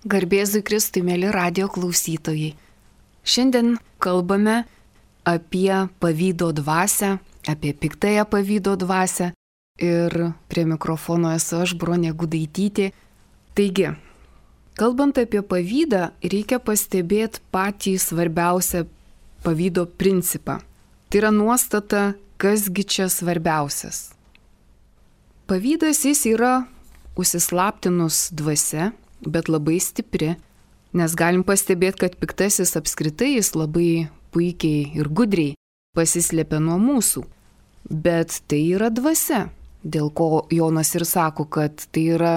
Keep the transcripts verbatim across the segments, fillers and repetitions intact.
Garbėzui Kristui, mėly radio klausytojai. Šiandien kalbame apie pavydo dvasią, apie piktąją pavydo dvasią ir prie mikrofono esu aš, Bronė Gudaitytė. Taigi, kalbant apie pavydą, reikia pastebėti patį svarbiausią pavydo principą. Tai yra nuostata, kasgi čia svarbiausias. Pavydas jis yra užsislaptinus dvasia, bet labai stipri, nes galim pastebėti, kad piktasis apskritai jis labai puikiai ir gudriai pasislėpia nuo mūsų. Bet tai yra dvasia, dėl ko Jonas ir sako, kad tai yra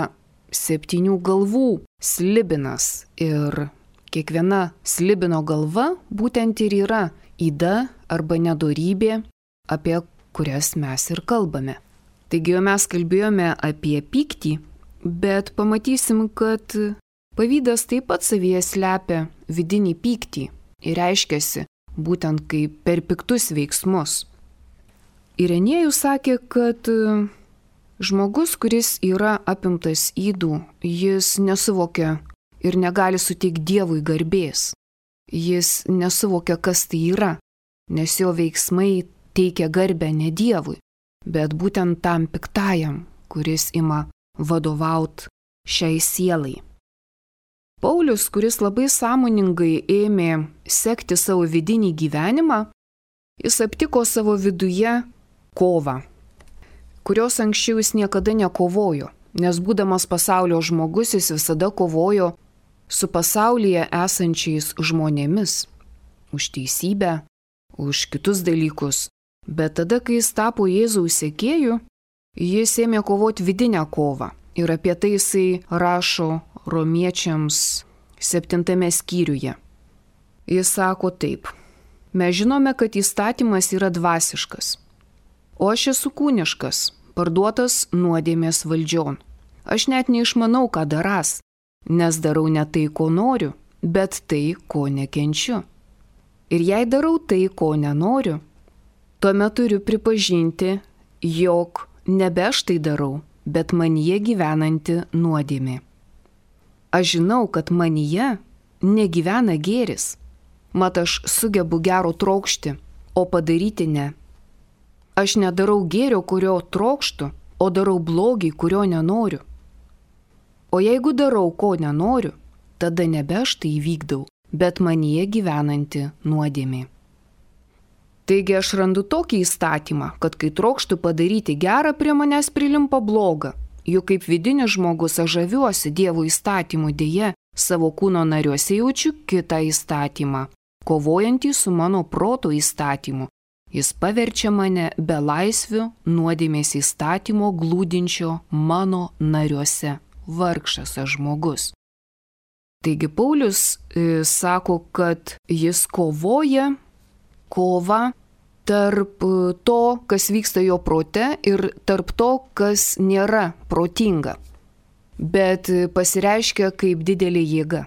septynių galvų slibinas ir kiekviena slibino galva būtent ir yra yda arba nedorybė, apie kurias mes ir kalbame. Taigi jau mes kalbėjome apie pyktį, bet pamatysim, kad pavydas taip pat savyje slepia vidinį pyktį ir reiškiasi būtent kaip per piktus veiksmus. Irenėjus sakė, kad žmogus, kuris yra apimtas ydų, jis nesuvokia ir negali suteikti Dievui garbės. Jis nesuvokia, kas tai yra, nes jo veiksmai teikia garbę ne Dievui, bet būtent tam piktajam, kuris ima vadovaut šiai sielai. Paulius, kuris labai sąmoningai ėmė sekti savo vidinį gyvenimą, jis aptiko savo viduje kovą, kurios anksčiau jis niekada nekovojo, nes būdamas pasaulio žmogus jis visada kovojo su pasaulyje esančiais žmonėmis, už teisybę, už kitus dalykus, bet tada, kai jis tapo Jėzaus sekėju, jis ėmė kovoti vidinę kovą ir apie tai jisai rašo romiečiams septintame skyriuje. Jis sako taip: mes žinome, kad įstatymas yra dvasiškas, o aš esu kūniškas, parduotas nuodėmės valdžion. Aš net neišmanau, ką daras, nes darau ne tai, ko noriu, bet tai, ko nekenčiu. Ir jei darau tai, ko nenoriu, tuomet turiu pripažinti, jog nebe aš tai darau, bet manyje gyvenanti nuodėmė. Aš žinau, kad manyje negyvena gėris, mat aš sugebu gero trokšti, o padaryti ne. Aš nedarau gėrio, kurio trokštu, o darau blogį, kurio nenoriu. O jeigu darau, ko nenoriu, tada nebe aš tai įvykdau, bet manyje gyvenanti nuodėmė. Taigi aš randu tokį įstatymą, kad kai trokštu padaryti gerą, prie manęs prilimpa bloga. Juk kaip vidinis žmogus aš žaviuosi Dievo įstatymu, dėje savo kūno nariuose jaučiu kitą įstatymą, kovojantį su mano proto įstatymu. Jis paverčia mane belaisviu nuodėmės įstatymo glūdinčio mano nariuose. Vargšas aš žmogus. Taigi Paulius e, sako, kad jis kovoja kova tarp to, kas vyksta jo prote ir tarp to, kas nėra protinga, bet pasireiškia kaip didelė jėga.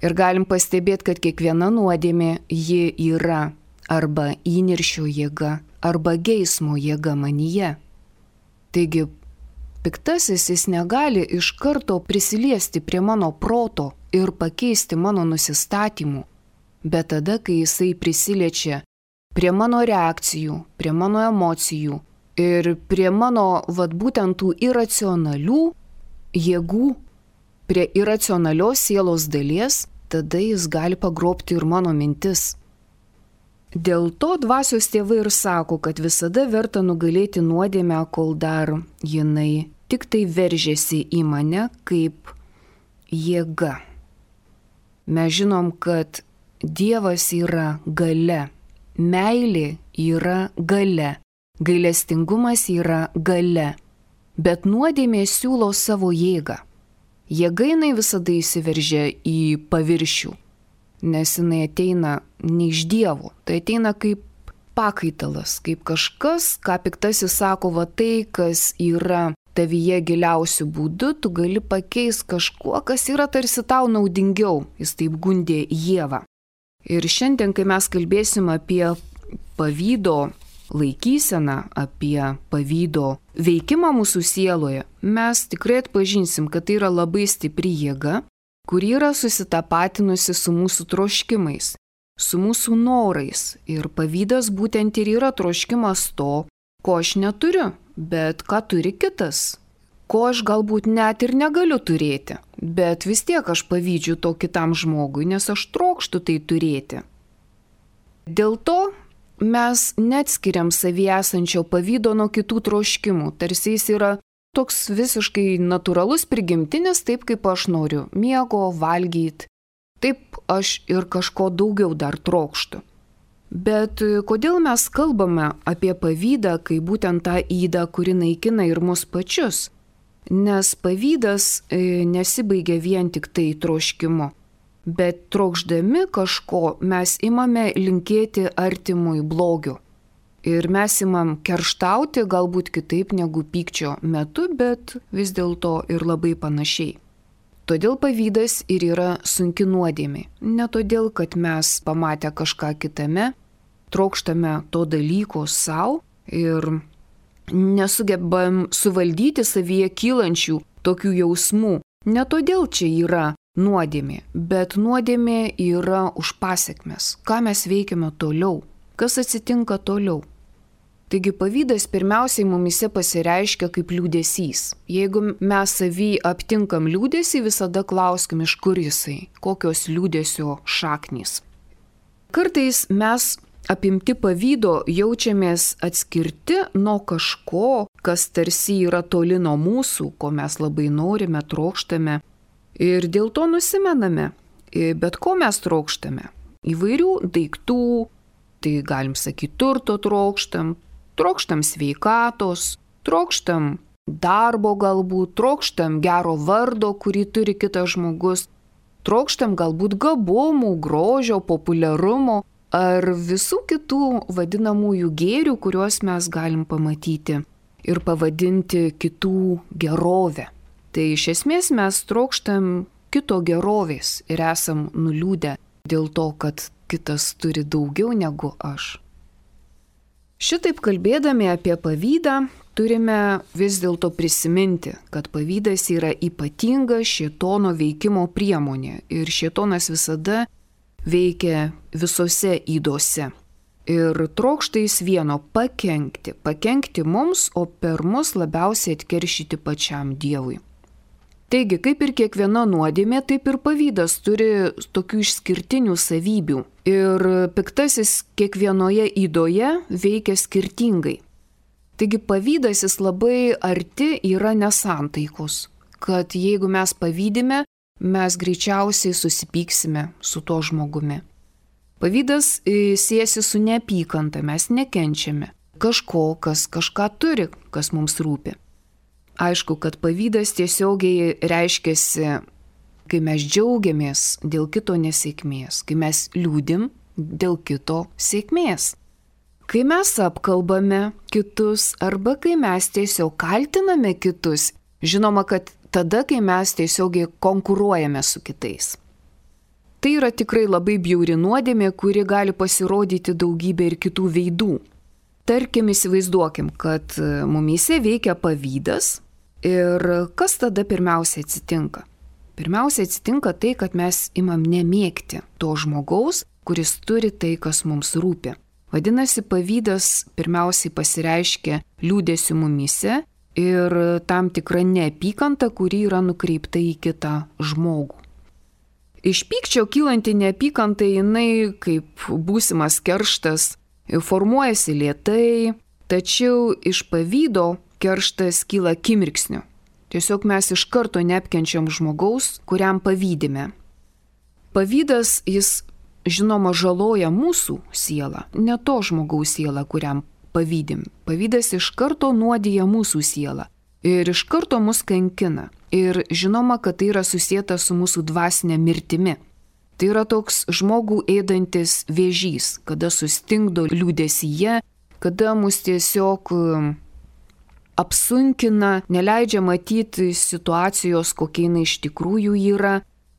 Ir galim pastebėti, kad kiekviena nuodėmė ji yra arba įniršio jėga, arba geismo jėga manyje. Taigi piktasis jis negali iš karto prisiliesti prie mano proto ir pakeisti mano nusistatymų, bet tada, kai jisai prisiliečia prie mano reakcijų, prie mano emocijų ir prie mano, vat būtent tų iracionalių jėgų, prie iracionalios sielos dalies, tada jis gali pagrobti ir mano mintis. Dėl to dvasios tėvai ir sako, kad visada verta nugalėti nuodėmę, kol dar jinai tik tai veržiasi į mane kaip jėga. Mes žinom, kad Dievas yra galia. Meilė yra galia, gailestingumas yra galia, bet nuodėmė siūlo savo jėgą. Jėga jinai visada įsiveržia į paviršių, nes jinai ateina ne iš Dievo, tai ateina kaip pakaitalas, kaip kažkas, ką piktasis sako, va tai, kas yra tavyje giliausių būdų, tu gali pakeisti kažkuo, kas yra tarsi tau naudingiau, jis taip gundė Ievą. Ir šiandien, kai mes kalbėsim apie pavydo laikyseną, apie pavydo veikimą mūsų sieloje, mes tikrai atpažinsim, kad tai yra labai stipri jėga, kuri yra susitapatinusi su mūsų troškimais, su mūsų norais. Ir pavydas būtent ir yra troškimas to, ko aš neturiu, bet ką turi kitas, ko aš galbūt net ir negaliu turėti, bet vis tiek aš pavydžiu to kitam žmogui, nes aš trokštu tai turėti. Dėl to mes neatskiriam savyje esančio pavydo nuo kitų troškimų, tarsi jis yra toks visiškai natūralus, prigimtinis, taip kaip aš noriu miego, valgyti, taip aš ir kažko daugiau dar trokštu. Bet kodėl mes kalbame apie pavydą, kai būtent tą ydą, kuri naikina ir mus pačius? Nes pavydas nesibaigia vien tik tai troškimu, bet trokšdami kažko mes imame linkėti artimui blogio. Ir mes imam kerštauti galbūt kitaip negu pykčio metu, bet vis dėlto ir labai panašiai. Todėl pavydas ir yra sunki nuodėmė. Ne todėl, kad mes pamatę kažką kitame, trokštame to dalyko savo ir nesugebam suvaldyti savyje kylančių tokių jausmų. Ne todėl čia yra nuodėmė, bet nuodėmė yra už pasekmes. Ką mes veikiame toliau? Kas atsitinka toliau? Taigi pavydas pirmiausiai mumise pasireiškia kaip liūdesys. Jeigu mes savy aptinkam liūdesį, visada klauskim, iš kur jisai, kokios liūdesio šaknys. Kartais mes apimti pavydo jaučiamės atskirti nuo kažko, kas tarsi yra toli nuo mūsų, ko mes labai norime, trokštame. Ir dėl to nusimename. Bet ko mes trokštame? Įvairių daiktų, tai galim sakyti turto trokštam, trokštam sveikatos, trokštam darbo galbūt, trokštam gero vardo, kurį turi kitas žmogus, trokštam galbūt gabumų, grožio, populiarumo ar visų kitų vadinamųjų gėrių, kuriuos mes galim pamatyti ir pavadinti kitų gerovę. Tai iš esmės mes trokštam kito gerovės ir esam nuliūdę dėl to, kad kitas turi daugiau negu aš. Šitaip kalbėdami apie pavydą, turime vis dėlto prisiminti, kad pavydas yra ypatinga šėtono veikimo priemonė ir šėtonas visada veikia visose ydose. Ir trokšta jis vieno pakenkti, pakenkti mums, o per mus labiausiai atkeršyti pačiam Dievui. Taigi, kaip ir kiekviena nuodėmė, taip ir pavydas turi tokių išskirtinių savybių. Ir piktasis kiekvienoje ydoje veikia skirtingai. Taigi pavydas jis labai arti yra nesantaikos, kad jeigu mes pavydime, mes greičiausiai susipyksime su tuo žmogumi. Pavydas siejasi su neapykanta, mes nekenčiame kažko, kas kažką turi, kas mums rūpi. Aišku, kad pavydas tiesiogiai reiškiasi, kai mes džiaugiamės dėl kito nesėkmės, kai mes liūdim dėl kito sėkmės, kai mes apkalbame kitus arba kai mes tiesiog kaltiname kitus, žinoma, kad tada, kai mes tiesiogiai konkuruojame su kitais. Tai yra tikrai labai bjauri nuodėmė, kuri gali pasirodyti daugybė ir kitų veidų. Tarkim, įsivaizduokim, kad mumyse veikia pavydas ir kas tada pirmiausia atsitinka? Pirmiausia atsitinka tai, kad mes imam nemėgti to žmogaus, kuris turi tai, kas mums rūpi. Vadinasi, pavydas pirmiausiai pasireiškia liūdesiu mumyse ir tam tikra neapykanta, kuri yra nukreipta į kitą žmogų. Iš pykčio kylanti neapykanta jinai kaip būsimas kerštas formuojasi lėtai, tačiau iš pavydo kerštas kyla akimirksniu. Tiesiog mes iš karto neapkenčiam žmogaus, kuriam pavydime. Pavydas jis, žinoma, žaloja mūsų sielą, ne to žmogaus sielą, kuriam pavydim. Pavydas iš karto nuodija mūsų sielą ir iš karto mus kankina. Ir žinoma, kad tai yra susieta su mūsų dvasinė mirtimi. Tai yra toks žmogų ėdantis vėžys, kada sustingdo liūdesyje, kada mus tiesiog apsunkina, neleidžia matyti situacijos, kokia jinai iš tikrųjų yra,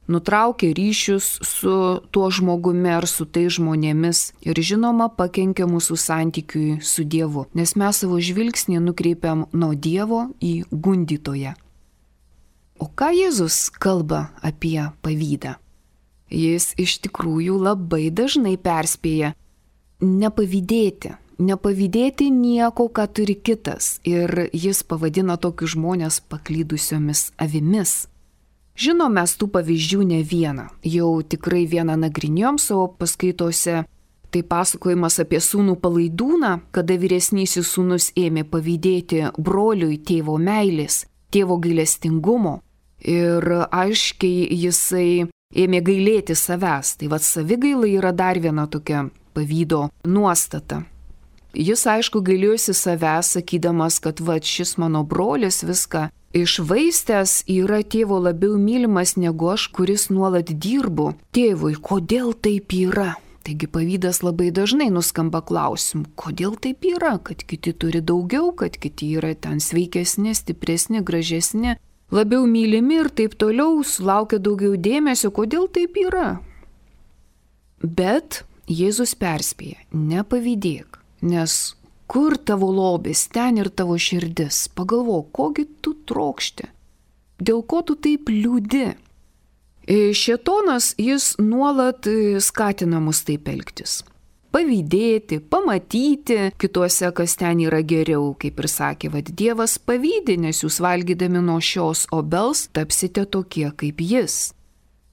nutraukia ryšius su tuo žmogumi ar su tai žmonėmis ir žinoma pakenkia mūsų santykiui su Dievu, nes mes savo žvilgsnį nukreipiam nuo Dievo į gundytoją. O ką Jėzus kalba apie pavydą? Jis iš tikrųjų labai dažnai perspėja nepavydėti, nepavydėti nieko, ką turi kitas, ir jis pavadina tokius žmonės paklydusiomis avimis. Žinom, mes tų pavyzdžių ne vieną, jau tikrai vieną nagrinėjom savo paskaitose. Tai pasakojimas apie sūnų Palaidūną, kada vyresnysis sūnus ėmė pavydėti broliui tėvo meilės, tėvo gailestingumo, ir aiškiai jisai ėmė gailėti savęs. Tai vad savigaila yra dar viena tokia pavydo nuostata. Jis aišku gailėjosi savęs, sakydamas, kad vad šis mano brolis viską išvaistęs yra tėvo labiau mylimas negu aš, kuris nuolat dirbu tėvui. Kodėl taip yra? Taigi pavydas labai dažnai nuskamba klausimu, kodėl taip yra, kad kiti turi daugiau, kad kiti yra ten sveikesni, stipresni, gražesni, labiau mylimi ir taip toliau, sulaukia daugiau dėmesio, kodėl taip yra. Bet Jėzus perspėja, nepavydėk, nes kur tavo lobis, ten ir tavo širdis. Pagalvok, kogi tu trokšti, dėl ko tu taip liūdi. Šėtonas jis nuolat skatina mus taip elgtis. Pavydėti, pamatyti kituose, kas ten yra geriau, kaip ir sakė, vad Dievas pavydi, nes jūs valgydami nuo šios obels tapsite tokie kaip jis.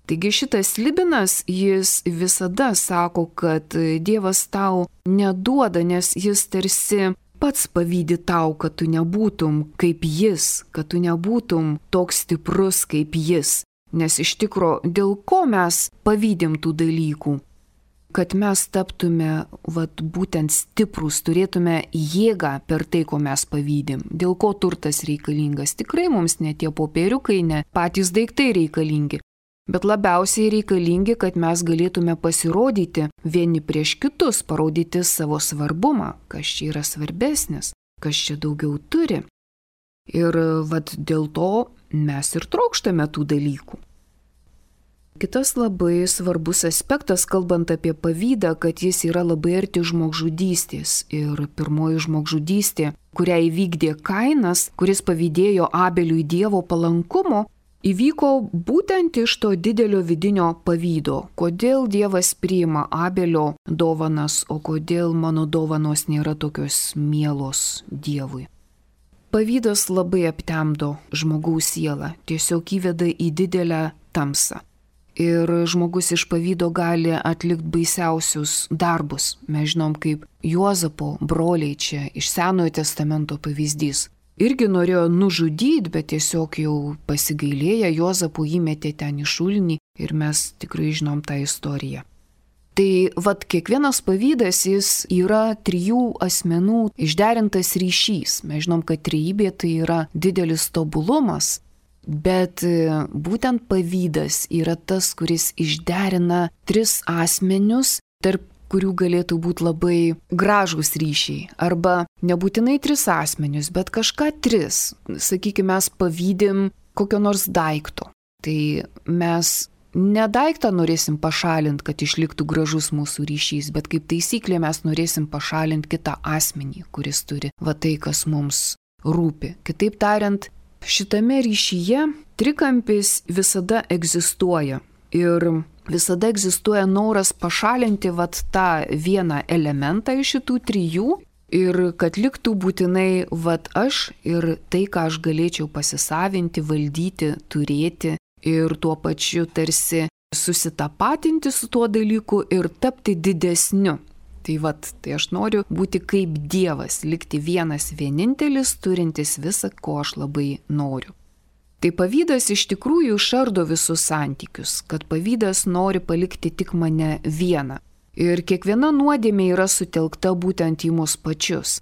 Taigi šitas slibinas, jis visada sako, kad Dievas tau neduoda, nes jis tarsi pats pavydi tau, kad tu nebūtum kaip jis, kad tu nebūtum toks stiprus kaip jis. Nes iš tikro, dėl ko mes pavydim tų dalykų? Kad mes taptume vat, būtent stiprus, turėtume jėgą per tai, ko mes pavydim. Dėl ko turtas reikalingas? Tikrai mums ne tie popieriukai, ne patys daiktai reikalingi. Bet labiausiai reikalingi, kad mes galėtume pasirodyti vieni prieš kitus, parodyti savo svarbumą, kas čia yra svarbesnis, kas čia daugiau turi. Ir vat dėl to mes ir trokštame tų dalykų. Kitas labai svarbus aspektas, kalbant apie pavydą, kad jis yra labai arti žmogžudystės. Ir pirmoji žmogžudystė, kurią įvykdė Kainas, kuris pavydėjo Abeliui Dievo palankumo, įvyko būtent iš to didelio vidinio pavydo. Kodėl Dievas priima Abelio dovanas, o kodėl mano dovanos nėra tokios mielos Dievui? Pavydas labai aptemdo žmogaus sielą, tiesiog įveda į didelę tamsą. Ir žmogus iš pavydo gali atlikti baisiausius darbus. Mes žinom, kaip Juozapo broliai čia iš Senojo testamento pavyzdys. Irgi norėjo nužudyti, bet tiesiog jau pasigailėję Juozapo įmetė ten į šulinį ir mes tikrai žinom tą istoriją. Tai vat kiekvienas pavydas jis yra trijų asmenų išderintas ryšys. Mes žinom, kad trejybė tai yra didelis tobulumas, bet būtent pavydas yra tas, kuris išderina tris asmenius, tarp kurių galėtų būti labai gražūs ryšiai. Arba nebūtinai tris asmenius, bet kažką tris. Sakykime, mes pavydim kokio nors daikto. Tai mes ne daiktą norėsim pašalinti, kad išliktų gražus mūsų ryšys, bet kaip taisyklė mes norėsim pašalinti kitą asmenį, kuris turi va tai, kas mums rūpi. Kitaip tariant, šitame ryšyje trikampis visada egzistuoja ir visada egzistuoja noras pašalinti vat tą vieną elementą iš šitų trijų ir kad liktų būtinai vat aš ir tai, ką aš galėčiau pasisavinti, valdyti, turėti. Ir tuo pačiu tarsi susitapatinti su tuo dalyku ir tapti didesniu. Tai vat, tai aš noriu būti kaip Dievas, likti vienas vienintelis, turintis visą, ko aš labai noriu. Tai pavydas iš tikrųjų išardo visus santykius, kad pavydas nori palikti tik mane vieną. Ir kiekviena nuodėmė yra sutelkta būtent į mus pačius.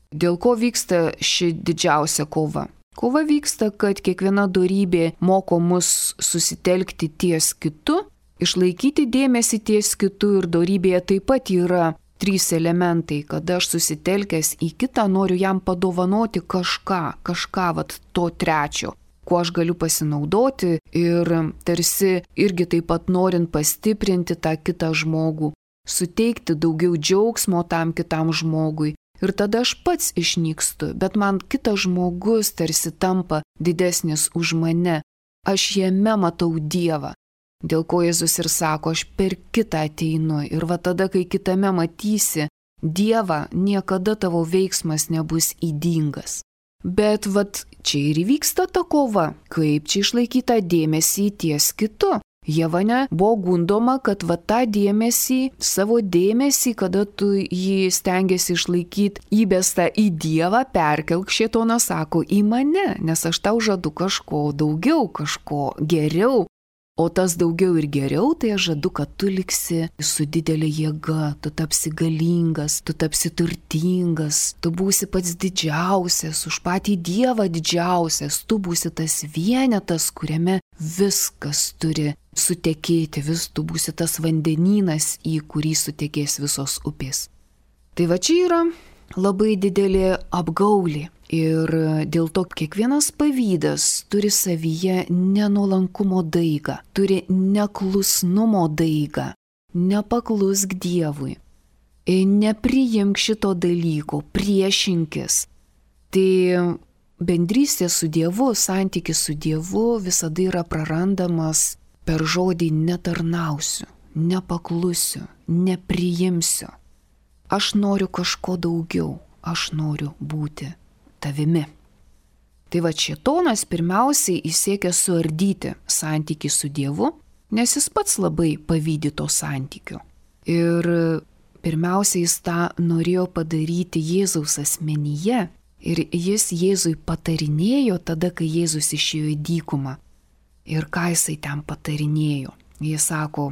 Dėl ko vyksta ši didžiausia kova? Kova vyksta, kad kiekviena dorybė moko mus susitelkti ties kitu, išlaikyti dėmesį ties kitu ir dorybėje taip pat yra trys elementai, kad aš susitelkęs į kitą noriu jam padovanoti kažką, kažką vat to trečio, kuo aš galiu pasinaudoti ir tarsi irgi taip pat norint pastiprinti tą kitą žmogų, suteikti daugiau džiaugsmo tam kitam žmogui. Ir tada aš pats išnykstu, bet man kitas žmogus tarsi tampa didesnis už mane. Aš jame matau Dievą. Dėl ko Jėzus ir sako, aš per kitą ateinu. Ir va tada, kai kitame matysi Dievą, niekada tavo veiksmas nebus ydingas. Bet vat čia ir įvyksta ta kova, kaip čia išlaikyti tą dėmesį ties kitu. Ieva buvo gundoma, kad va tą dėmesį, savo dėmesį, kada tu jį stengiasi išlaikyti įbestą į Dievą, perkelk, šėtonas sako, į mane, nes aš tau žadu kažko daugiau, kažko geriau. O tas daugiau ir geriau, tai aš žadu, kad tu liksi su didelė jėga, tu tapsi galingas, tu tapsi turtingas, tu būsi pats didžiausias, už patį Dievą didžiausias, tu būsi tas vienetas, kuriame viskas turi sutekėti, vis tu būsi tas vandenynas, į kurį sutekės visos upės. Tai va čia yra labai didelė apgaulė. Ir dėl to kiekvienas pavydas turi savyje nenuolankumo daigą, turi neklusnumo daigą, nepaklusk Dievui, nepriimk šito dalyko, priešinkis. Tai bendrystė su Dievu, santykis su Dievu visada yra prarandamas per žodį netarnausiu, nepaklusiu, nepriimsiu. Aš noriu kažko daugiau, aš noriu būti tavimi. Tai va šėtonas pirmiausiai įsiekia suardyti santykį su Dievu, nes jis pats labai pavydi to santykio. Ir pirmiausiai jis tą norėjo padaryti Jėzaus asmenyje ir jis Jėzui patarinėjo tada, kai Jėzus išėjo į dykumą. Ir ką jisai ten patarinėjo? Jis sako,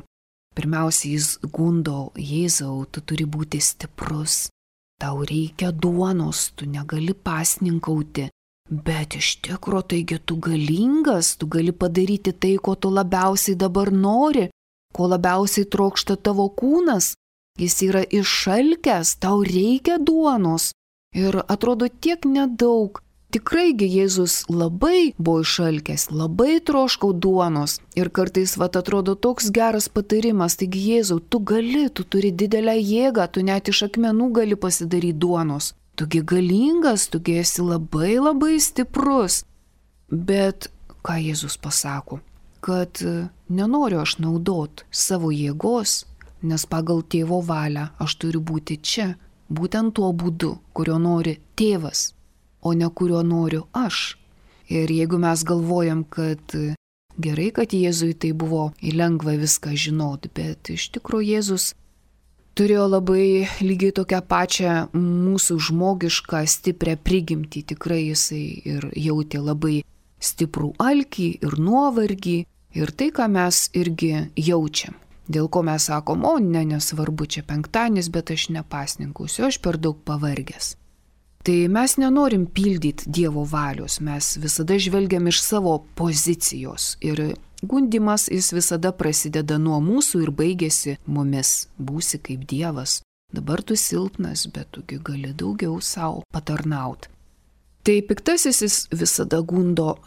pirmiausiai jis gundo Jėzau, tu turi būti stiprus. Tau reikia duonos, tu negali pasninkauti, bet iš tikro taigi tu galingas, tu gali padaryti tai, ko tu labiausiai dabar nori, ko labiausiai trokšta tavo kūnas, jis yra išalkęs, tau reikia duonos. Ir atrodo tiek nedaug. Tikraigi Jėzus labai buvo išalkęs, labai troškau duonos ir kartais vat atrodo toks geras patarimas, taigi Jėzau, tu gali, tu turi didelę jėgą, tu net iš akmenų gali pasidaryti duonos, tugi galingas, tugi esi labai labai stiprus. Bet ką Jėzus pasako, kad nenoriu aš naudot savo jėgos, nes pagal tėvo valią aš turiu būti čia, būtent tuo būdu, kurio nori tėvas, o ne kurio noriu aš. Ir jeigu mes galvojam, kad gerai, kad Jėzui tai buvo lengva viską žinoti, bet iš tikrųjų Jėzus turėjo labai lygiai tokią pačią mūsų žmogišką stiprią prigimtį. Tikrai jisai ir jautė labai stiprų alkį ir nuovargį ir tai, ką mes irgi jaučiam. Dėl ko mes sakom, o ne, nesvarbu, čia penktadienis, bet aš nepasninkausiu, aš per daug pavargęs. Tai mes nenorim pildyti Dievo valios, mes visada žvelgiam iš savo pozicijos ir gundimas jis visada prasideda nuo mūsų ir baigėsi mumis, būsi kaip Dievas. Dabar tu silpnas, bet tugi gali daugiau savo patarnaut. Tai piktasis jis visada gundo,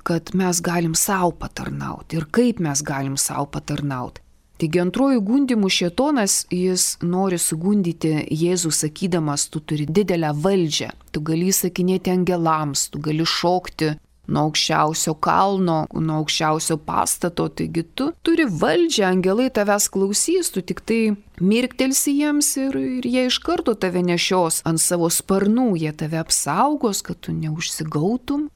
kad mes galim savo patarnaut ir kaip mes galim savo patarnaut. Taigi antrojų gundimų šėtonas, jis nori sugundyti Jėzų sakydamas, tu turi didelę valdžią, tu gali įsakinėti angelams, tu gali šokti nuo aukščiausio kalno, nuo aukščiausio pastato, taigi tu turi valdžią, angelai tavęs klausys, tu tik tai mirktelsi jiems ir, ir jie iš karto tave nešios ant savo sparnų, jie tave apsaugos, kad tu neužsigautum.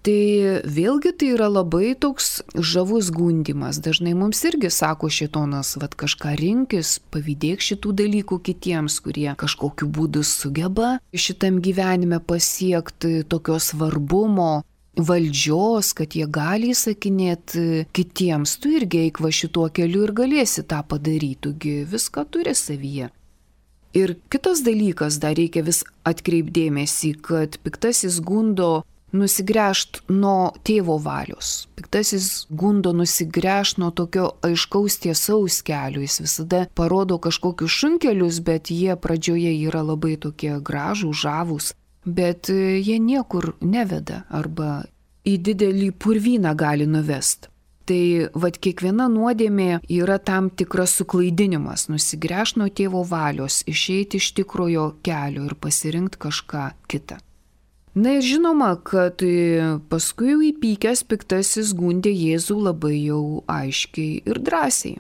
Tai vėlgi tai yra labai toks žavus gundimas. Dažnai mums irgi sako šėtonas, vat kažką rinkis, pavydėk šitų dalykų kitiems, kurie kažkokiu būdu sugeba šitam gyvenime pasiekti tokio svarbumo, valdžios, kad jie gali įsakinėti kitiems. Tu irgi eik va šituo keliu ir galėsi tą padaryti, tugi viską turi savyje. Ir kitas dalykas, dar reikia vis atkreipdėmėsi, kad piktasis gundo nusigręžt nuo tėvo valios. Piktasis gundo nusigręžt nuo tokio aiškaus tiesaus kelio. Jis visada parodo kažkokius šunkelius, bet jie pradžioje yra labai tokie gražų, žavūs, bet jie niekur neveda arba į didelį purvyną gali nuvest. Tai vat kiekviena nuodėmė yra tam tikras suklaidinimas, nusigręžt nuo tėvo valios, išeiti iš tikrojo kelio ir pasirinkti kažką kitą. Na ir žinoma, kad paskui jau įpykęs piktasis gundė Jėzų labai jau aiškiai ir drąsiai.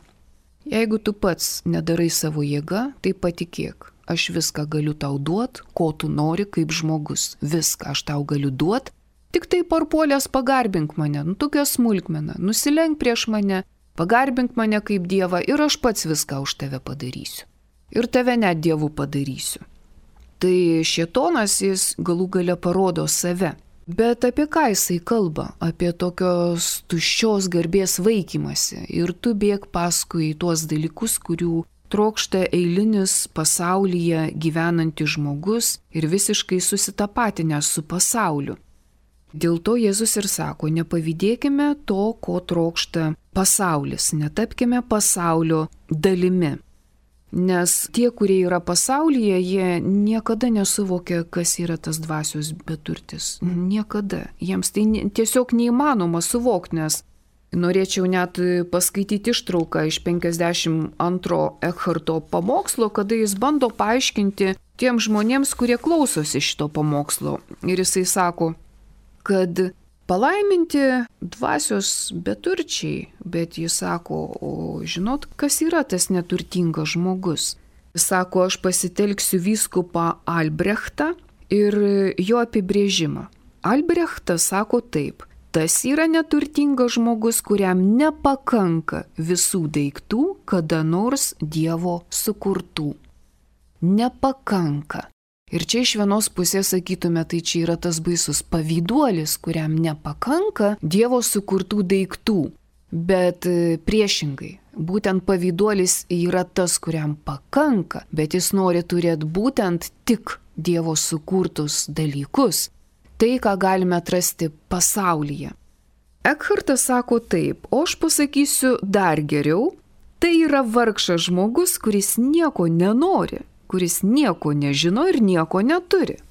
Jeigu tu pats nedarai savo jėga, tai patikėk, aš viską galiu tau duot, ko tu nori kaip žmogus. Viską aš tau galiu duot, tik tai parpuolęs pagarbink mane, nu tokia smulkmena, nusilenk prieš mane, pagarbink mane kaip Dievą ir aš pats viską už tave padarysiu. Ir tave net Dievu padarysiu. Tai šėtonas jis galų gale parodo save. Bet apie ką jisai kalba? Apie tokios tuščios garbės vaikymasi. Ir tu bėg paskui tuos dalykus, kurių trokšta eilinis pasaulyje gyvenantis žmogus ir visiškai susitapatinęs su pasauliu. Dėl to Jėzus ir sako, nepavydėkime to, ko trokšta pasaulis, netapkime pasaulio dalimi. Nes tie, kurie yra pasaulyje, jie niekada nesuvokia, kas yra tas dvasios beturtis. Niekada. Jiems tai tiesiog neįmanoma suvokti, nes norėčiau net paskaityti ištrauką iš penkiasdešimt antro Ekharto pamokslo, kada jis bando paaiškinti tiem žmonėms, kurie klausosi šito pamokslo. Ir jisai sako, kad palaiminti dvasios beturčiai, bet jis sako, o žinot, kas yra tas neturtingas žmogus? Jis sako, aš pasitelksiu vyskupą Albrechtą ir jo apibrėžimą. Albrechtas sako taip, tas yra neturtingas žmogus, kuriam nepakanka visų daiktų, kada nors Dievo sukurtų. Nepakanka. Ir čia iš vienos pusės sakytume, tai čia yra tas baisus pavyduolis, kuriam nepakanka Dievo sukurtų daiktų. Bet priešingai, būtent pavyduolis yra tas, kuriam pakanka, bet jis nori turėti būtent tik Dievo sukurtus dalykus. Tai, ką galime atrasti pasaulyje. Ekhartas sako taip, o aš pasakysiu dar geriau, tai yra vargšas žmogus, kuris nieko nenori, kuris nieko nežino ir nieko neturi.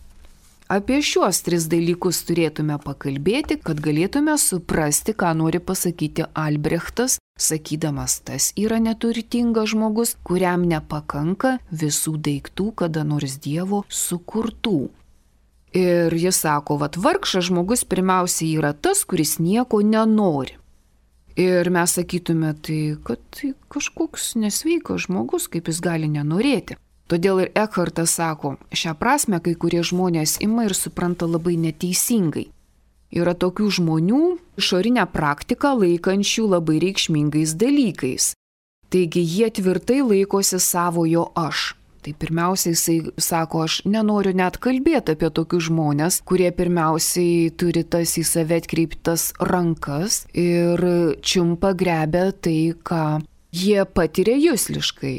Apie šiuos tris dalykus turėtume pakalbėti, kad galėtume suprasti, ką nori pasakyti Albrechtas, sakydamas, tas yra neturtingas žmogus, kuriam nepakanka visų daiktų, kada nors Dievo sukurtų. Ir jis sako, vat vargšas žmogus pirmiausiai yra tas, kuris nieko nenori. Ir mes sakytume, tai kad tai kažkoks nesveikas žmogus, kaip jis gali nenorėti. Todėl ir Ekhartas sako, šią prasme kai kurie žmonės ima ir supranta labai neteisingai. Yra tokių žmonių išorinę praktiką laikančių labai reikšmingais dalykais. Taigi jie tvirtai laikosi savojo aš. Tai pirmiausiai jisai sako, aš nenoriu net kalbėti apie tokius žmonės, kurie pirmiausiai turi tas į save atkreiptas rankas ir čiumpa grebia tai, ką jie patiria jusliškai.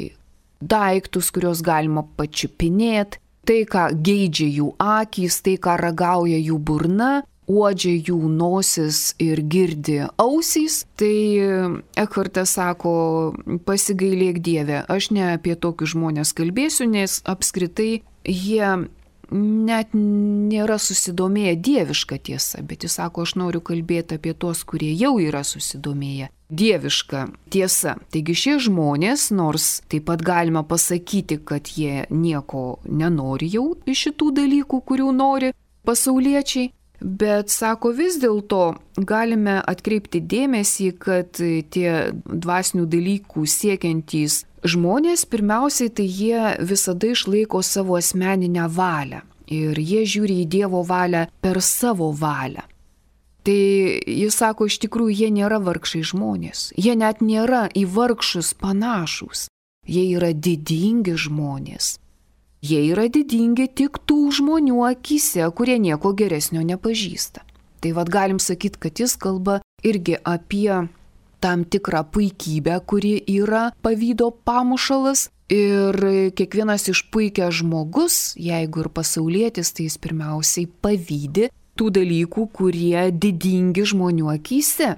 Daiktus, kuriuos galima pačiupinėti, tai, ką geidžia jų akys, tai, ką ragauja jų burna, uodžia jų nosis ir girdi ausys. Tai Ekhartas sako, pasigailėk Dieve, aš ne apie tokius žmonės kalbėsiu, nes apskritai jie net nėra susidomėję dieviška tiesa, bet jis sako, aš noriu kalbėti apie tos, kurie jau yra susidomėję dieviška tiesa. Taigi šie žmonės, nors taip pat galima pasakyti, kad jie nieko nenori jau iš šitų dalykų, kurių nori pasauliečiai, bet sako, vis dėlto galime atkreipti dėmesį, kad tie dvasinių dalykų siekiantys žmonės, pirmiausiai tai jie visada išlaiko savo asmeninę valią ir jie žiūri į Dievo valią per savo valią. Tai jis sako, iš tikrųjų jie nėra vargšai žmonės, jie net nėra į vargšus panašus, jie yra didingi žmonės. Jie yra didingi tik tų žmonių akyse, kurie nieko geresnio nepažįsta. Tai vad galim sakyti, kad jis kalba irgi apie tam tikrą puikybę, kuri yra pavydo pamušalas. Ir kiekvienas išpuikęs žmogus, jeigu ir pasaulietis, tai jis pirmiausiai pavydi tų dalykų, kurie didingi žmonių akyse.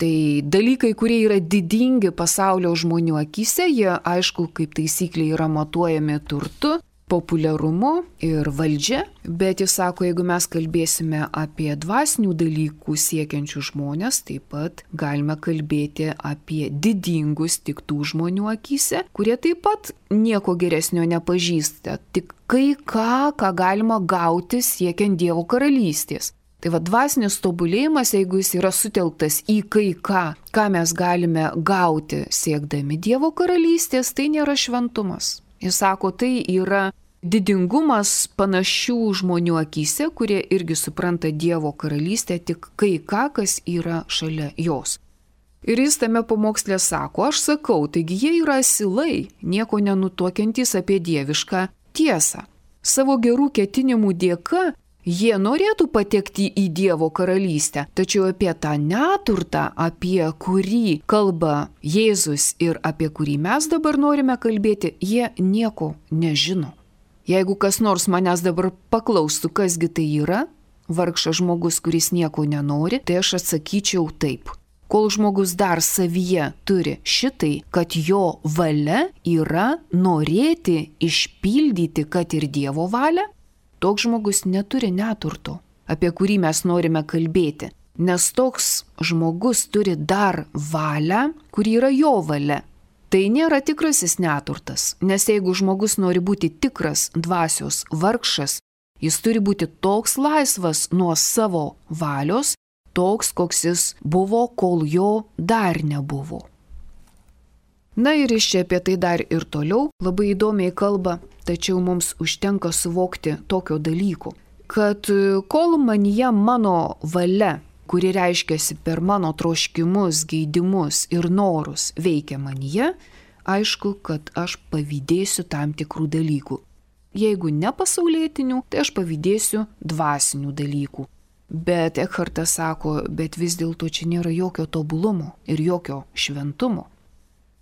Tai dalykai, kurie yra didingi pasaulio žmonių akyse, jie aišku, kaip taisyklė yra matuojami turtu, populiarumu ir valdžia, bet jis sako, jeigu mes kalbėsime apie dvasinių dalykų siekiančių žmonės, taip pat galime kalbėti apie didingus tik tų žmonių akyse, kurie taip pat nieko geresnio nepažįsta, tik kai ką, ką galima gauti siekiant Dievo karalystės. Tai va, dvasinis tobulėjimas, jeigu jis yra sutelktas į kai ką, ką mes galime gauti siekdami Dievo karalystės, tai nėra šventumas. Jis sako, tai yra didingumas panašių žmonių akyse, kurie irgi supranta Dievo karalystę tik kai ką, kas yra šalia jos. Ir jis tame pamokslė sako, aš sakau, taigi jie yra asilai, nieko nenutuokiantys apie dievišką tiesą. Savo gerų ketinimų dėka jie norėtų patekti į Dievo karalystę, tačiau apie tą neturtą, apie kurį kalba Jėzus ir apie kurį mes dabar norime kalbėti, jie nieko nežino. Jeigu kas nors manęs dabar paklaustų, kasgi tai yra, vargšas žmogus, kuris nieko nenori, tai aš atsakyčiau taip. Kol žmogus dar savyje turi šitai, kad jo valia yra norėti išpildyti, kad ir Dievo valia, toks žmogus neturi neturto, apie kurį mes norime kalbėti, nes toks žmogus turi dar valią, kuri yra jo valia. Tai nėra tikrasis neturtas, nes jeigu žmogus nori būti tikras dvasios vargšas, jis turi būti toks laisvas nuo savo valios, toks, koks jis buvo, kol jo dar nebuvo. Na ir iš čia apie tai dar ir toliau labai įdomiai kalba, tačiau mums užtenka suvokti tokio dalyko, kad kol manyje mano valia, kuri reiškiasi per mano troškimus, geidimus ir norus veikia manyje, aišku, kad aš pavydėsiu tam tikrų dalykų. Jeigu ne pasaulietinių, tai aš pavydėsiu dvasinių dalykų. Bet Ekhartas sako, bet vis dėlto čia nėra jokio tobulumo ir jokio šventumo.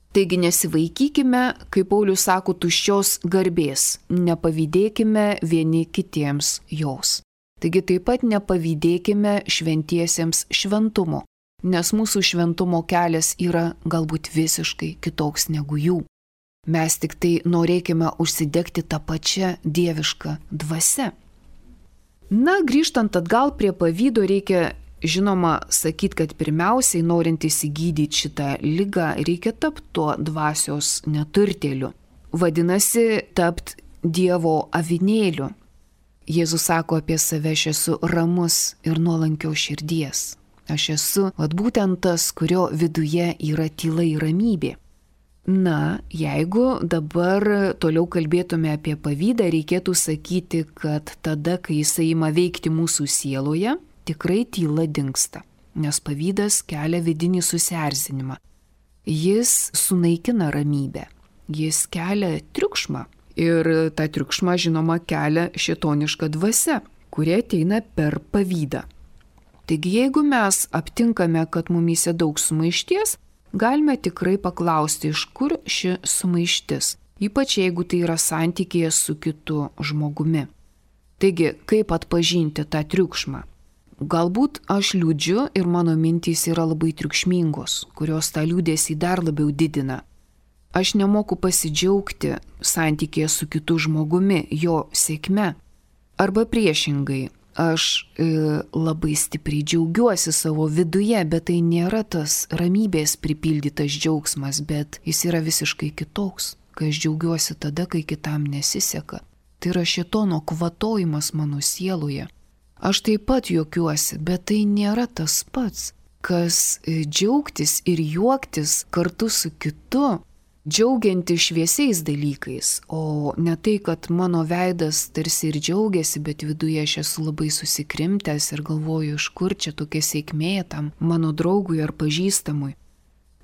Taigi nesivaikykime, kaip Paulius sako, tuščios garbės, nepavydėkime vieni kitiems jos. Taigi taip pat nepavydėkime šventiesiems šventumo, nes mūsų šventumo kelias yra galbūt visiškai kitoks negu jų. Mes tik tai norėkime užsidegti tą pačią dievišką dvasią. Na, grįžtant atgal prie pavydo, reikia žinoma sakyti, kad pirmiausiai, norint įsigydyti šitą ligą, reikia tapti tuo dvasios neturtėliu. Vadinasi, tapti Dievo avinėliu. Jėzus sako apie save, aš esu ramus ir nuolankio širdies. Aš esu, vat būtent tas, kurio viduje yra tyla ir ramybė. Na, jeigu dabar toliau kalbėtume apie pavydą, reikėtų sakyti, kad tada, kai jisai ima veikti mūsų sieloje, tikrai tyla dingsta, nes pavydas kelia vidinį susierzinimą. Jis sunaikina ramybę, jis kelia triukšmą. Ir tą triukšmą, žinoma, kelia šėtoniška dvasia, kurie ateina per pavydą. Taigi, jeigu mes aptinkame, kad mumyse daug sumaišties, galime tikrai paklausti, iš kur ši sumaištis, ypač jeigu tai yra santykėje su kitu žmogumi. Taigi, kaip atpažinti tą triukšmą? Galbūt aš liūdžiu ir mano mintys yra labai triukšmingos, kurios tą liūdėsį dar labiau didina. Aš nemoku pasidžiaugti santykėje su kitu žmogumi, jo sėkme. Arba priešingai, aš e, labai stipriai džiaugiuosi savo viduje, bet tai nėra tas ramybės pripildytas džiaugsmas, bet jis yra visiškai kitoks, kai aš džiaugiuosi tada, kai kitam nesiseka. Tai yra šėtono kvatojimas mano sieloje. Aš taip pat juokiuosi, bet tai nėra tas pats, kas džiaugtis ir juoktis kartu su kitu, džiaugianti šviesiais dalykais, o ne tai, kad mano veidas tarsi ir džiaugiasi, bet viduje aš esu labai susikrimtęs ir galvoju, iš kur čia tokia sėkmė tam mano draugui ar pažįstamui.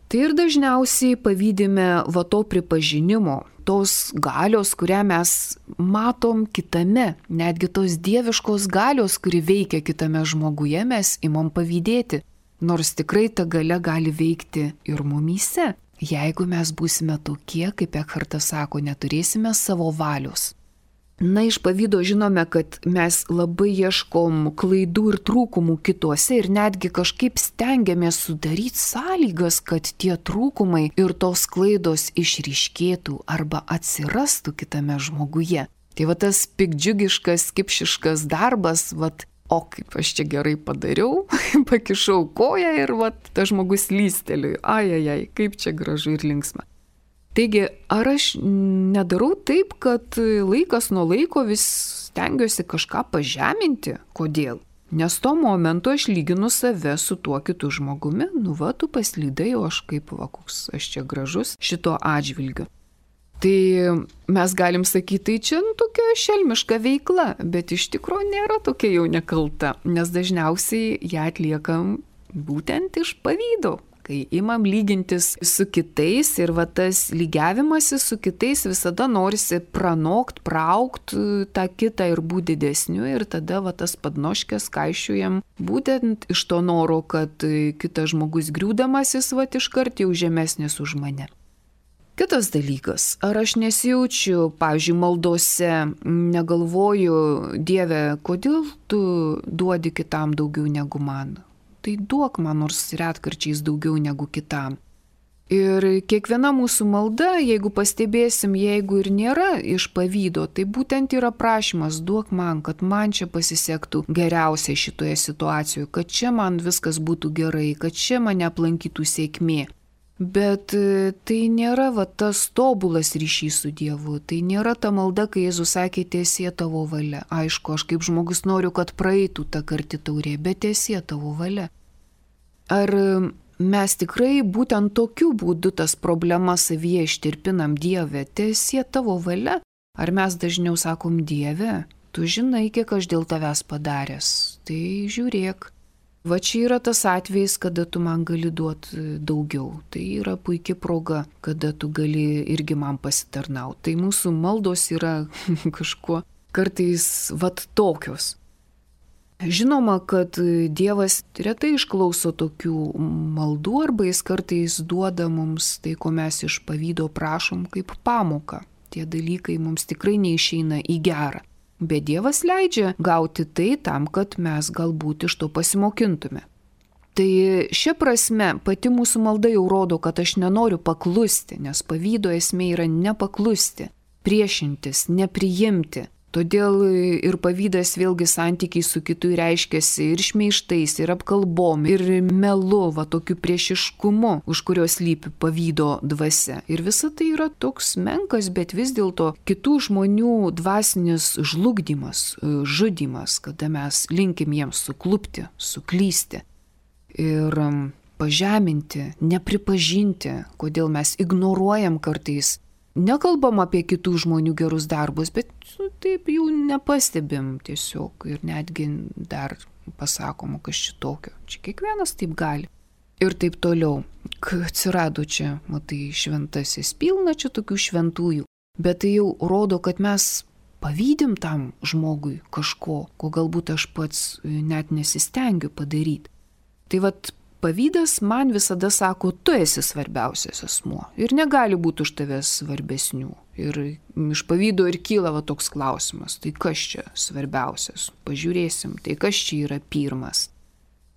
Tai ir dažniausiai pavydime va to pripažinimo, tos galios, kurią mes matom kitame, netgi tos dieviškos galios, kuri veikia kitame žmoguje, mes imam pavydėti, nors tikrai ta galia gali veikti ir mumyse. Jeigu mes būsime tokie, kaip Ekhartas sako, neturėsime savo valios. Na, iš pavydo žinome, kad mes labai ieškom klaidų ir trūkumų kituose ir netgi kažkaip stengiamės sudaryti sąlygas, kad tie trūkumai ir tos klaidos išryškėtų arba atsirastų kitame žmoguje. Tai va tas pikdžiugiškas, kipšiškas darbas, va, o kaip aš čia gerai padariau, pakišau koją ir va, tas žmogus lysteliui, ajajai, kaip čia gražu ir linksma. Taigi, ar aš nedarau taip, kad laikas nuo laiko vis stengiuosi kažką pažeminti? Kodėl? Nes tuo momentu aš lyginu save su tuo kitu žmogumi, nu va, tu paslydai, o aš kaip, va, koks aš čia gražus šito atžvilgiu. Tai mes galim sakyti, tai čia nu, tokia šelmiška veikla, bet iš tikrųjų nėra tokia jau nekalta, nes dažniausiai ją atliekam būtent iš pavydo. Kai imam lygintis su kitais ir va tas lygiavimasis su kitais visada norisi pranokt, praukt tą kitą ir būti didesniu ir tada va tas padnoškės kaišiujam būtent iš to noro, kad kitas žmogus griūdamasis va iškart jau žemesnis už mane. Kitas dalykas, ar aš nesijaučiu, pavyzdžiui, maldose, negalvoju, Dieve, kodėl tu duodi kitam daugiau negu man? Tai duok man nors retkarčiais daugiau negu kitam. Ir kiekviena mūsų malda, jeigu pastebėsim, jeigu ir nėra iš pavydo, tai būtent yra prašymas, duok man, kad man čia pasisektų geriausiai šitoje situacijoje, kad čia man viskas būtų gerai, kad čia mane aplankytų sėkmė. Bet tai nėra va, tas tobulas ryšys su Dievu, tai nėra ta malda, kai Jėzus sakė, tiesie tavo valia. Aišku, aš kaip žmogus noriu, kad praeitų ta karti taurė, bet tiesie tavo valia. Ar mes tikrai būtent tokiu būdu tas problemas savyje ištirpinam, Dieve, tiesie tavo valia? Ar mes dažniau sakom, Dieve, tu žinai, kiek aš dėl tavęs padaręs, tai žiūrėk. Va čia yra tas atvejis, kada tu man gali duoti daugiau. Tai yra puikia proga, kada tu gali irgi man pasitarnauti. Tai mūsų maldos yra kažkuo kartais vat tokios. Žinoma, kad Dievas retai išklauso tokių maldų arba jis kartais duoda mums tai, ko mes iš pavydo prašom, kaip pamoką. Tie dalykai mums tikrai neišeina į gerą. Bet Dievas leidžia gauti tai tam, kad mes galbūt iš to pasimokintume. Tai šia prasme pati mūsų malda jau rodo, kad aš nenoriu paklusti, nes pavydo esmė yra nepaklusti, priešintis, nepriimti. Todėl ir pavydas vėlgi santykiai su kitu reiškiasi ir šmeižtais, ir apkalbom, ir melu, va tokiu priešiškumu, už kurio slypi pavydo dvasia. Ir visa tai yra toks menkas, bet vis dėlto kitų žmonių dvasinis žlugdymas, žudymas, kada mes linkim jiems suklupti, suklysti ir pažeminti, nepripažinti, kodėl mes ignoruojam kartais. Nekalbam apie kitų žmonių gerus darbus, bet nu, taip jau nepastebim tiesiog ir netgi dar pasakom, kas čia tokio. Čia kiekvienas taip gali. Ir taip toliau. Atsirado čia, matai, šventasis, pilna čia tokių šventųjų. Bet tai jau rodo, kad mes pavydim tam žmogui kažko, ko galbūt aš pats net nesistengiu padaryti. Tai vat pavydas man visada sako, tu esi svarbiausias asmuo ir negali būti už tavęs svarbesnių. Ir iš pavydo ir kyla va toks klausimas, tai kas čia svarbiausias? Pažiūrėsim, tai kas čia yra pirmas?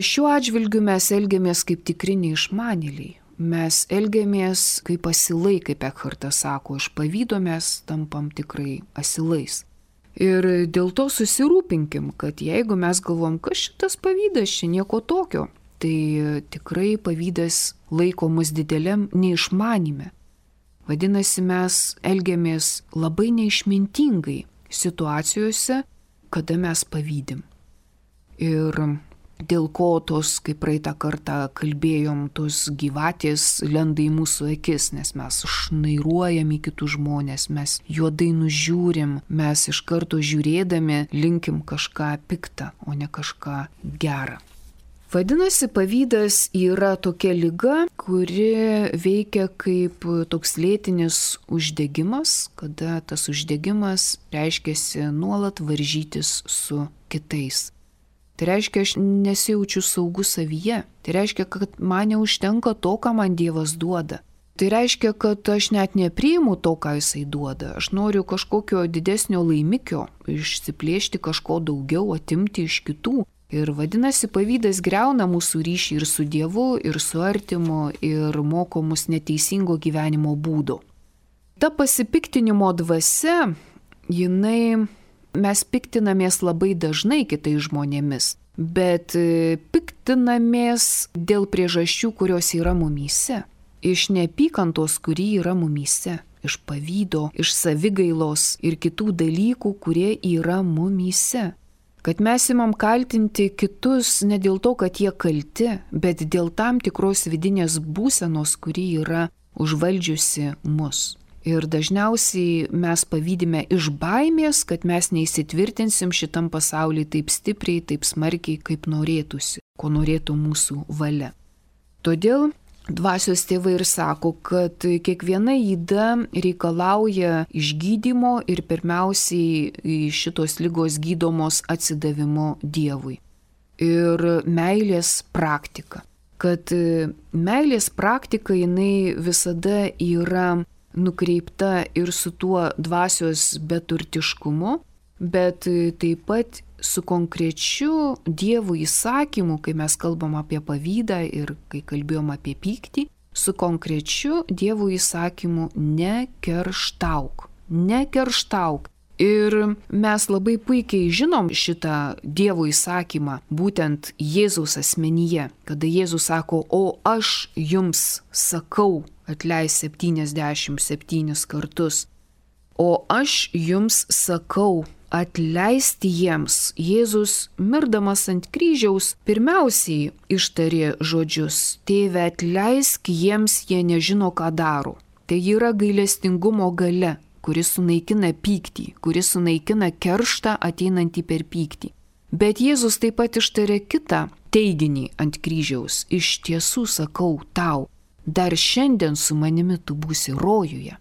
Šiuo atžvilgiu mes elgiamės kaip tikri neišmanėliai. Mes elgiamės kaip asilai, kaip Ekhartas sako, iš pavydo mes tampam tikrai asilais. Ir dėl to susirūpinkim, kad jeigu mes galvom, kas šitas pavydas, čia nieko tokio, tai tikrai pavydas laiko mus dideliam neišmanime. Vadinasi, mes elgiamės labai neišmintingai situacijose, kada mes pavydim. Ir dėl ko tos, kaip praeitą kartą kalbėjom, tos gyvatės lenda į mūsų akis, nes mes šnairuojam į kitus žmonės, mes juodai nužiūrim, mes iš karto žiūrėdami linkim kažką piktą, o ne kažką gerą. Vadinasi, pavydas yra tokia liga, kuri veikia kaip toks lėtinis uždegimas, kada tas uždegimas reiškiasi nuolat varžytis su kitais. Tai reiškia, aš nesijaučiu saugus savyje. Tai reiškia, kad man neužtenka to, ką man Dievas duoda. Tai reiškia, kad aš net nepriimu to, ką jisai duoda. Aš noriu kažkokio didesnio laimikio, išsiplėšti kažko daugiau, atimti iš kitų. Ir vadinasi, pavydas griauna mūsų ryšį ir su Dievu, ir su artimu, ir moko mus neteisingo gyvenimo būdo. Ta pasipiktinimo dvasia jinai, mes piktinamės labai dažnai kitais žmonėmis, bet piktinamės dėl priežasčių, kurios yra mumyse. Iš neapykantos, kuri yra mumyse, iš pavydo, iš savigailos ir kitų dalykų, kurie yra mumyse. Kad mes imam kaltinti kitus ne dėl to, kad jie kalti, bet dėl tam tikros vidinės būsenos, kuri yra užvaldžiusi mus. Ir dažniausiai mes pavydime iš baimės, kad mes neįsitvirtinsim šitam pasaulyje taip stipriai, taip smarkiai, kaip norėtųsi, ko norėtų mūsų valia. Todėl dvasios tėvai ir sako, kad kiekviena yda reikalauja išgydymo ir pirmiausiai šitos ligos gydomos atsidavimo Dievui. Ir meilės praktika. Kad meilės praktika jinai visada yra nukreipta ir su tuo dvasios beturtiškumu, bet taip pat su konkrečiu Dievo įsakymu, kai mes kalbam apie pavydą ir kai kalbėjom apie pyktį, su konkrečiu Dievo įsakymu nekerštauk, nekerštauk. Ir mes labai puikiai žinom šitą Dievo įsakymą, būtent Jėzaus asmenyje, kada Jėzus sako, o aš jums sakau, atleis septyniasdešimt septynis kartus, o aš jums sakau, atleisti jiems. Jėzus, mirdamas ant kryžiaus, pirmiausiai ištarė žodžius, tėve, atleisk jiems, jie nežino, ką daro. Tai yra gailestingumo galia, kuris sunaikina pyktį, kuris sunaikina kerštą ateinantį per pyktį. Bet Jėzus taip pat ištarė kitą teiginį ant kryžiaus. Iš tiesų sakau tau, dar šiandien su manimi tu būsi rojuje.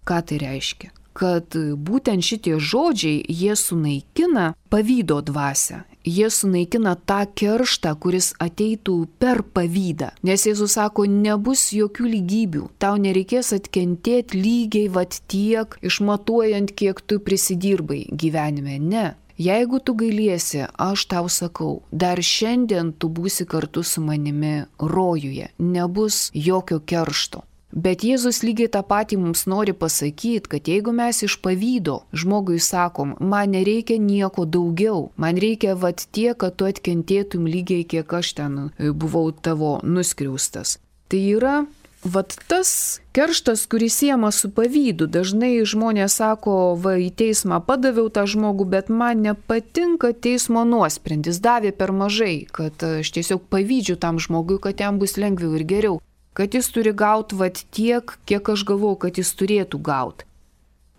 Ką tai reiškia? Kad būtent šitie žodžiai, jie sunaikina pavydo dvasią. Jie sunaikina tą kerštą, kuris ateitų per pavydą. Nes Jėzus sako, nebus jokių lygybių. Tau nereikės atkentėti lygiai vat tiek, išmatuojant, kiek tu prisidirbai gyvenime. Ne. Jeigu tu gailiesi, aš tau sakau, dar šiandien tu būsi kartu su manimi rojuje. Nebus jokio keršto. Bet Jėzus lygiai tą patį mums nori pasakyti, kad jeigu mes iš pavydo žmogui sakom, man nereikia nieko daugiau, man reikia vat tiek, kad tu atkentėtum lygiai, kiek aš ten buvau tavo nuskriaustas. Tai yra vat tas kerštas, kuris siejamas su pavydu. Dažnai žmonės sako, va į teismą padaviau tą žmogų, bet man nepatinka teismo nuosprendis, davė per mažai, kad aš tiesiog pavydžiu tam žmogui, kad jam bus lengviau ir geriau. Kad jis turi gauti vat tiek, kiek aš galvoju, kad jis turėtų gauti.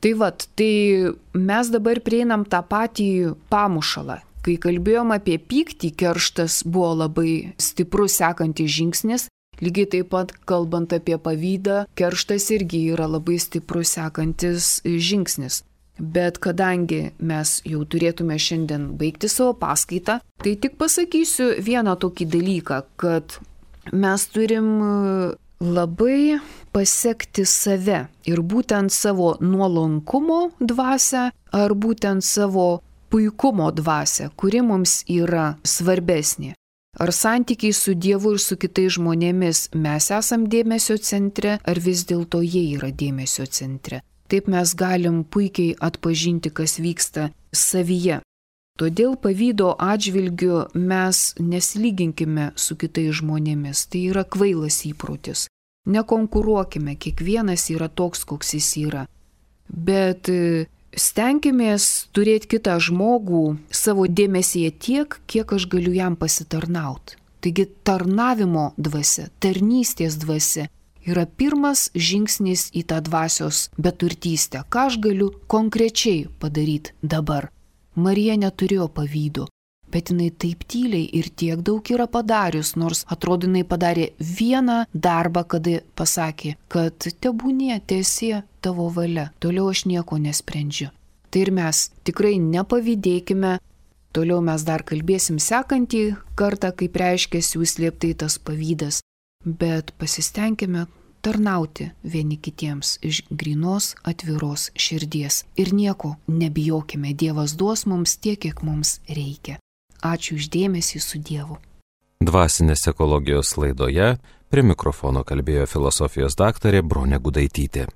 Tai vat, tai mes dabar prieinam tą patį pamušalą. Kai kalbėjom apie pyktį, kerštas buvo labai stiprus sekantis žingsnis, lygiai taip pat kalbant apie pavydą, kerštas irgi yra labai stiprus sekantis žingsnis. Bet kadangi mes jau turėtume šiandien baigti savo paskaitą, tai tik pasakysiu vieną tokį dalyką, kad mes turim labai pasekti save ir būtent savo nuolankumo dvasią ar būtent savo puikumo dvasią, kuri mums yra svarbesnė. Ar santykiai su Dievu ir su kitais žmonėmis mes esam dėmesio centre, ar vis dėlto jie yra dėmesio centre. Taip mes galim puikiai atpažinti, kas vyksta savyje. Todėl pavydo atžvilgiu mes nesilyginkime su kitais žmonėmis, tai yra kvailas įprotis. Nekonkuruokime, kiekvienas yra toks, koks jis yra. Bet stenkimės turėti kitą žmogų savo dėmesyje tiek, kiek aš galiu jam pasitarnauti. Taigi tarnavimo dvasia, tarnystės dvasia yra pirmas žingsnis į tą dvasios beturtystę. Ką aš galiu konkrečiai padaryti dabar? Marija neturėjo pavydo, bet jinai taip tyliai ir tiek daug yra padarius, nors atrodo jinai padarė vieną darbą, kada pasakė, kad tebūnie tiesie tavo valia, toliau aš nieko nesprendžiu. Tai ir mes tikrai nepavydėkime, toliau mes dar kalbėsim sekantį kartą, kaip reiškiasi užslėptai tas pavydas, bet pasistengime tarnauti vieni kitiems iš grynos atviros širdies. Ir nieko nebijokime, Dievas duos mums tiek, kiek mums reikia. Ačiū už dėmesį, su Dievu. Dvasinės ekologijos laidoje prie mikrofono kalbėjo filosofijos daktarė Bronė Gudaitytė.